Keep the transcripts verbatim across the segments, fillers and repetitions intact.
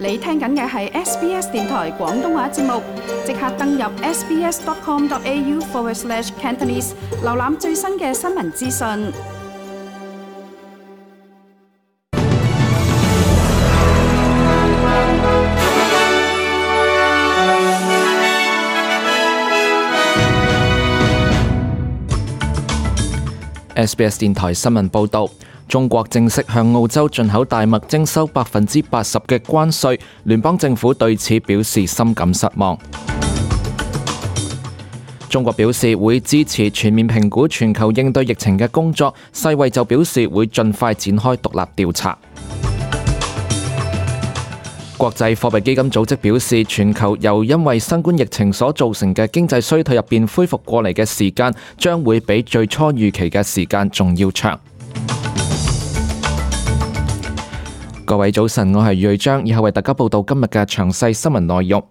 你聽緊嘅係 S B S 電台廣東話節目，即刻登入 sbs.com.au forward slash Cantonese， 瀏覽最新嘅新聞資訊。S B S 電台新聞報導，中國正式向澳洲進口大麥徵收百分之八十嘅關稅，聯邦政府對此表示深感失望。中國表示會支持全面評估全球應對疫情嘅工作，世衛就表示會盡快展開獨立調查。國際貨幣基金組織表示，全球由因為新冠疫情所造成嘅經濟衰退入邊恢復過嚟嘅時間，將會比最初預期嘅時間仲要長。各位早晨，我係瑞章，以後為大家報道今日嘅詳細新聞內容。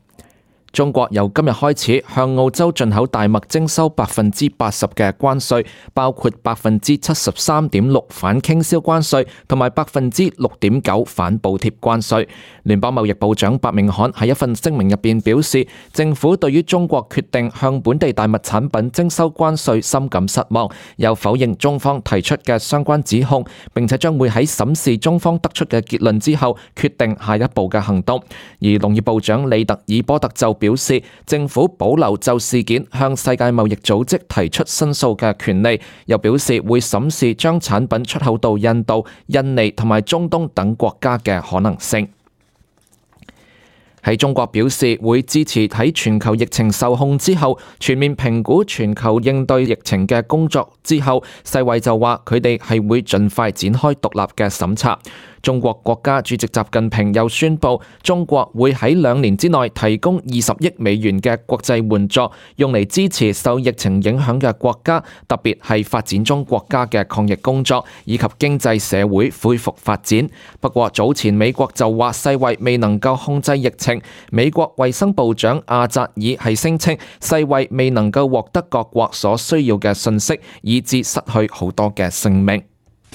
中國由今日開始向澳洲進口大麥徵收百分之八十嘅關稅，包括百分之七十三點六反傾銷關稅同埋百分之六點九反補貼關稅。聯邦貿易部長白明漢喺一份聲明入邊表示，政府對於中國決定向本地大麥產品徵收關稅深感失望，又否認中方提出嘅相關指控，並且將會喺審視中方得出嘅結論之後，決定下一步嘅行動。而農業部長利特爾波特就表示，政府保留就事件向世界貿易組織提出申訴嘅權利，又表示會審視將產品出口到印度、印尼同埋中東等國家嘅可能性。喺中國表示會支持喺全球疫情受控之後全面評估全球應對疫情嘅工作之後，世衛就話佢哋係會盡快展開獨立嘅審查。中國國家主席習近平又宣布，中國會喺兩年之內提供二十億美元嘅國際援助，用嚟支持受疫情影響嘅國家，特別係發展中國家嘅抗疫工作以及經濟社會恢復發展。不過早前美國就話世衛未能夠控制疫情，美國衛生部長阿扎爾係聲稱世衛未能夠獲得各國所需要嘅信息，以致失去好多嘅性命。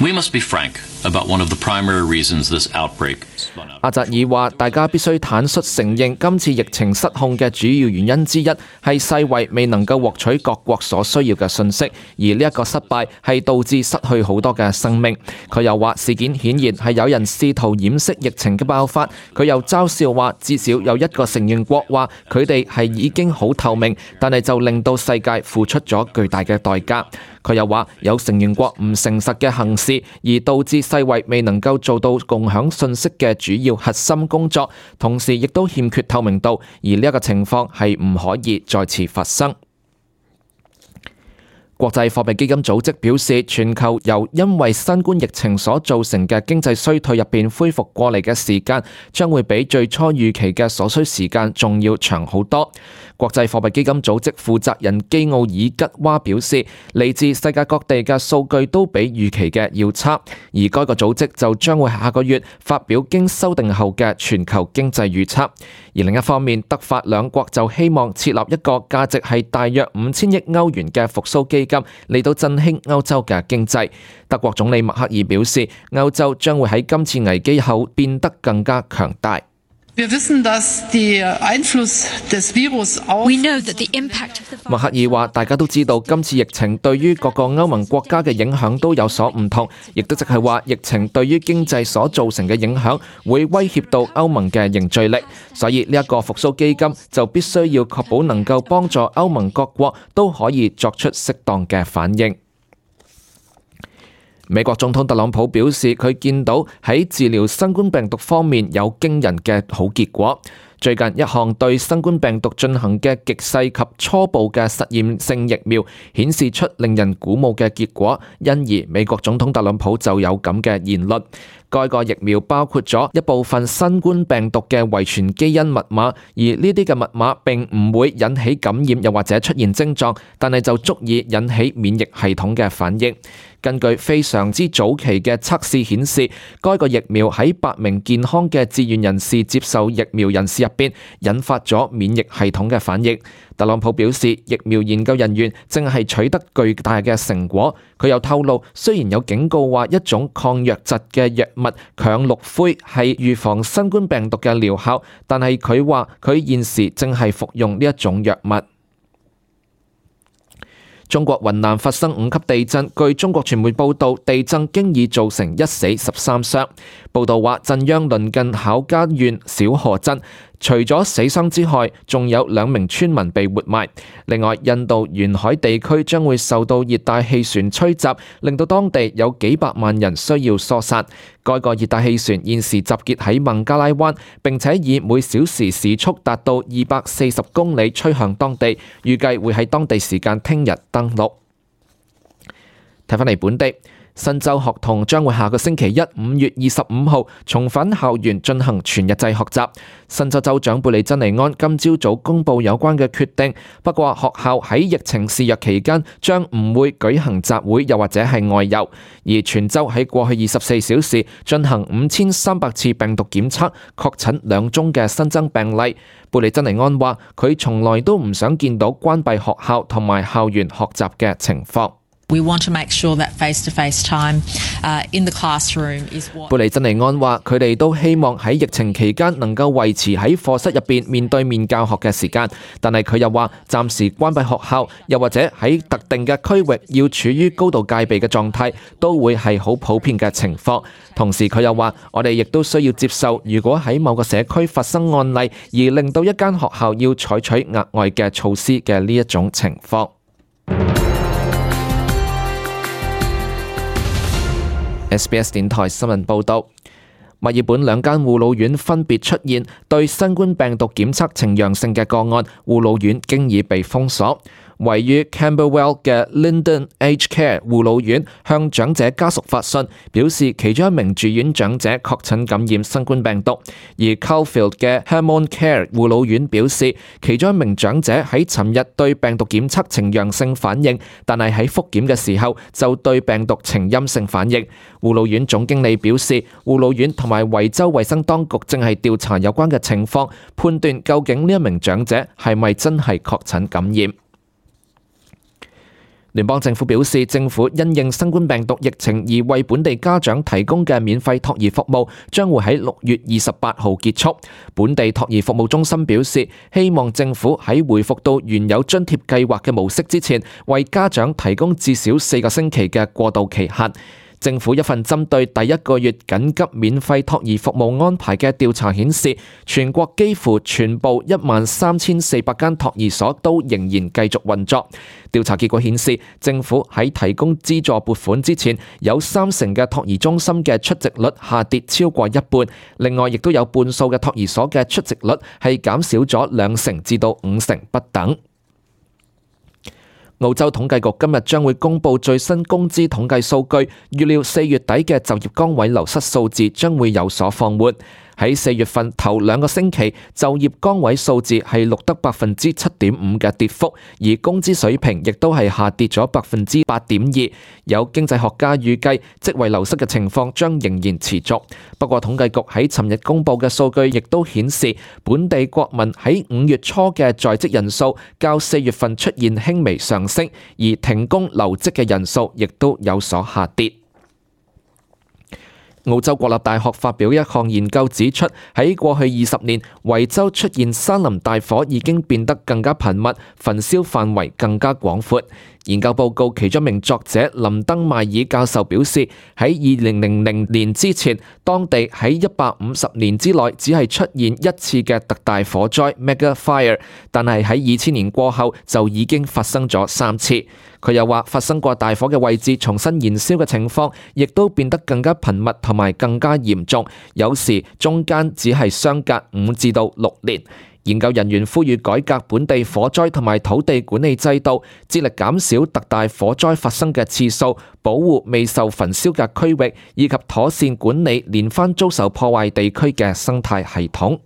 We must be frank about one of the primary reasons this outbreak spun out. 阿扎爾話：大家必須坦率承認，今次疫情失控嘅主要原因之一係世衛未能夠獲取各國所需要嘅信息，而呢一個失敗係導致失去好多嘅生命。佢又話事件顯然係有人試圖掩飾疫情嘅爆發。佢又嘲笑話，至少有一個成員國話佢哋係已經好透明，但係就令到世界付出咗巨大嘅代價。佢又話有成員國唔誠實嘅行事，而導致世衛未能夠做到共享信息嘅主要核心工作，同時亦都欠缺透明度，而呢一個情況係唔可以再次發生。國際貨幣基金組織表示，全球由因為新冠疫情所造成嘅經濟衰退入邊恢復過嚟嘅時間，將會比最初預期嘅所需時間仲要長好多。國際貨幣基金組織負責人基奧爾吉娃表示，嚟自世界各地嘅數據都比預期嘅要差，而該個組織就將會下個月發表經修訂後嘅全球經濟預測。而另一方面，德法兩國就希望設立一個價值係大約五千億歐元嘅復甦基金，嚟到振興歐洲嘅經濟。德國總理默克爾表示，歐洲將會喺今次危機後變得更加強大。Wir wissen, dass der Einfluss des Virus auf We know that the impact of the 默克爾話：大家都知道今次疫情對於各個歐盟國家嘅影響都有所唔同，亦都即係話疫情對於經濟所造成嘅影響會威脅到歐盟嘅凝聚力，所以呢一個復甦基金就必須要確保能夠幫助歐盟各國都可以作出適當嘅反應。美國總統特朗普表示，佢見到喺治療新冠病毒方面有驚人嘅好結果。最近一項對新冠病毒進行嘅極細及初步嘅實驗性疫苗顯示出令人鼓舞嘅結果，因而美國總統特朗普就有咁嘅言論。該個疫苗包括咗一部分新冠病毒嘅遺傳基因密碼，而呢啲嘅密碼並唔會引起感染又或者出現症狀，但係就足以引起免疫系統嘅反應。根據非常之早期嘅測試顯示，該個疫苗喺八名健康嘅志願人士接受疫苗人士入邊，引發咗免疫系統嘅反應。特朗普表示，疫苗研究人員正係取得巨大嘅成果。佢又透露，雖然有警告話一種抗瘧疾嘅藥物羥氯喹係預防新冠病毒嘅療效，但係佢話佢現時正係服用呢一種藥物。中國雲南發生五級地震，據中國傳媒報道，地震經已造成一死十三傷。報道話，震央鄰近考家縣小河鎮，除咗死傷之外，仲有兩名村民被活埋。另外，印度沿海地區將會受到熱帶氣旋吹襲，令到當地有幾百萬人需要疏散。該個熱帶氣旋現時集結喺孟加拉灣，並且以每小時時速達到二百四十公里吹向當地，預計會喺當地時間聽日登陸。睇返嚟本地。新州學童將會下個星期一五月二十五號重返校園進行全日制學習。新州州長貝利珍尼安今朝早公布有關嘅決定，不過學校喺疫情肆虐期間將唔會舉行集會又或者係外遊，而全州喺過去二十四小時進行五千三百次病毒檢測，確診兩宗嘅新增病例。貝利珍尼安話：佢從來都唔想見到關閉學校同埋校園學習嘅情況。We want to make sure that face-to-face time uh, in the classroom is what... 貝利珍尼安話：佢哋都希望喺疫情期間能夠維持喺課室入邊面對面教學嘅時間，但係佢又話暫時關閉學校，又或者喺特定嘅區域要處於高度戒備嘅狀態，都會係好普遍嘅情況。同時佢又話：我哋亦都需要接受，如果喺某個社區發生案例，而令到一間學校要採取額外嘅措施嘅呢一種情況。S B S 電台新聞報道，墨爾本兩間護老院分別出現對新冠病毒檢測呈陽性嘅個案，護老院經已被封鎖。位於 Camberwell 嘅 Linden Aged Care 護老院向長者家屬發信，表示其中一名住院長者確診感染新冠病毒。而 Caulfield 嘅 Hammond Care 護老院表示，其中一名長者喺尋日對病毒檢測呈陽性反應，但係喺復檢嘅時候就對病毒呈陰性反應。護老院總經理表示，護老院同埋維州衛生當局正係調查有關嘅情況，判斷究竟呢一名長者係咪真係確診感染。聯邦政府表示，政府因應新冠病毒疫情而為本地家長提供嘅免費托兒服務將會喺六月二十八號結束。本地托兒服務中心表示，希望政府喺回復到原有津貼計劃嘅模式之前，為家長提供至少四個星期嘅過渡期限。政府一份針對第一個月緊急免費托兒服務安排嘅調查顯示，全國幾乎全部一萬三千四百間托兒所都仍然繼續運作。調查結果顯示，政府喺提供資助撥款之前，有三成嘅托兒中心嘅出席率下跌超過一半，另外亦都有半數嘅托兒所嘅出席率係減少咗兩成至到五成不等。澳洲統計局今日將會公布最新工資統計數據，預料四月底嘅就業崗位流失數字將會有所放緩。喺四月份頭兩個星期，就業崗位數字係錄得百分之七點五嘅跌幅，而工資水平亦都係下跌咗百分之八點二。有經濟學家預計職位流失嘅情況將仍然持續。不過統計局喺尋日公布嘅數據亦都顯示，本地國民喺五月初嘅在職人數較四月份出現輕微上升，而停工留職嘅人數亦都有所下跌。澳洲國立大學發表一項研究指出，喺過去二十年，維州出現山林大火已經變得更加頻密，焚燒範圍更加廣闊。研究報告其中一名作者林登邁爾教授表示，喺二零零零年之前，當地喺一百五十年之內只係出現一次嘅特大火災 Mega Fire， 但係喺二千年過後就已經發生咗三次。佢又話，發生過大火嘅位置重新燃燒嘅情況，亦都變得更加頻密同埋更加嚴重，有時中間只係相隔五至到六年。研究人員呼籲改革本地火災同埋土地管理制度，致力減少特大火災發生嘅次數，保護未受焚燒嘅區域，以及妥善管理連番遭受破壞地區嘅生態系統。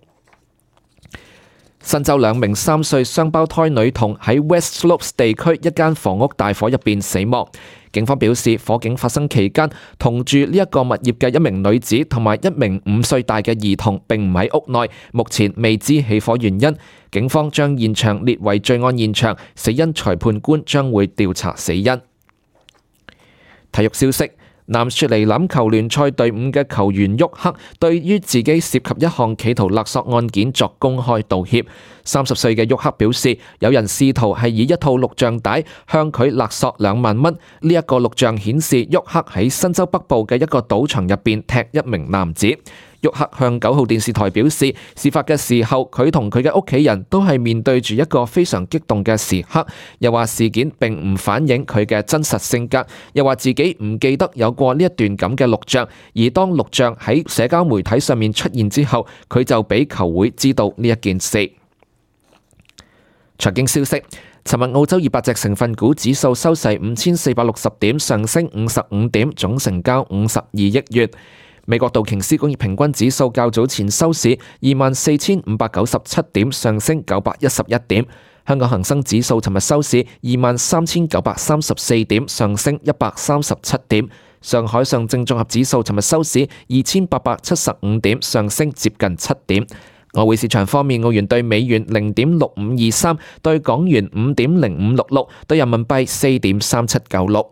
新州兩名三歲雙胞胎女童喺 West Slopes 地區一間房屋大火入邊死亡。警方表示，火警發生期間，同住呢一個物業嘅一名女子同埋一名五歲大嘅兒童並唔喺屋內，目前未知起火原因。警方將現場列為罪案現場，死因裁判官將會調查死因。體育消息。男雪梨欖球聯賽隊伍嘅球員沃克對於自己涉及一項企圖勒索案件作公開道歉。三十歲嘅沃克表示，有人試圖係以一套錄像帶向佢勒索兩萬蚊。呢一個錄像顯示沃克喺新州北部嘅一個賭場入邊踢一名男子。沃克向九號電視台表示，事發嘅時候佢同佢嘅屋企人都係面對住一個非常激動嘅時刻，又話事件並唔反映佢嘅真實性格，又話自己唔記得有過呢一段咁嘅錄像，而當錄像喺社交媒體上面出現之後，佢就俾球會知道呢一件事。財經消息，尋日澳洲二百隻成分股指數收市五千四百六十點，上升五十五點，總成交五十二億元。美國道瓊斯工業平均指數較早前收市二萬四千五百九十七點，上升九百一十一點。香港恒生指數尋日收市二萬三千九百三十四點，上升一百三十七點。上海上證綜合指數尋日收市二千八百七十五點，上升接近七點。外匯市場方面，澳元對美元零點六五二三，對港元五點零五六六，對人民幣四點三七九六。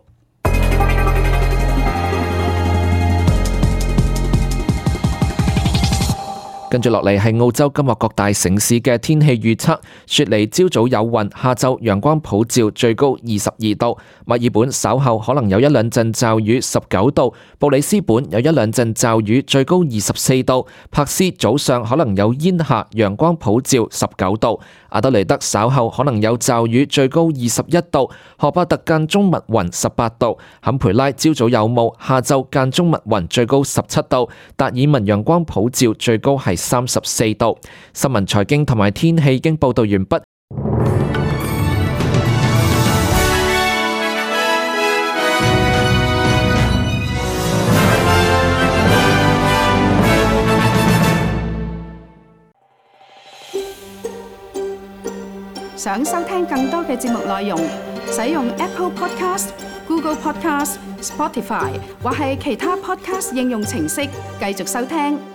跟住落嚟係澳洲今日各大城市嘅天氣預測。雪梨朝早有雲，下晝陽光普照，最高二十二度。墨爾本稍後可能有一兩陣驟雨，十九度。布里斯本有一兩陣驟雨，最高二十四度。珀斯早上可能有煙霞，陽光普照，十九度。阿德雷德稍後可能有驟雨，最高二十一度。荷伯特間中密雲，十八度。坎培拉朝早有霧，下晝間中密雲，最高十七度。達爾文陽光普照，最高係三十四度。新聞財經同埋天氣已經報道完畢。想收聽更多嘅節目內容，使用 Apple Podcast、Google Podcast、Spotify 或係其他 Podcast 應用程式繼續收聽。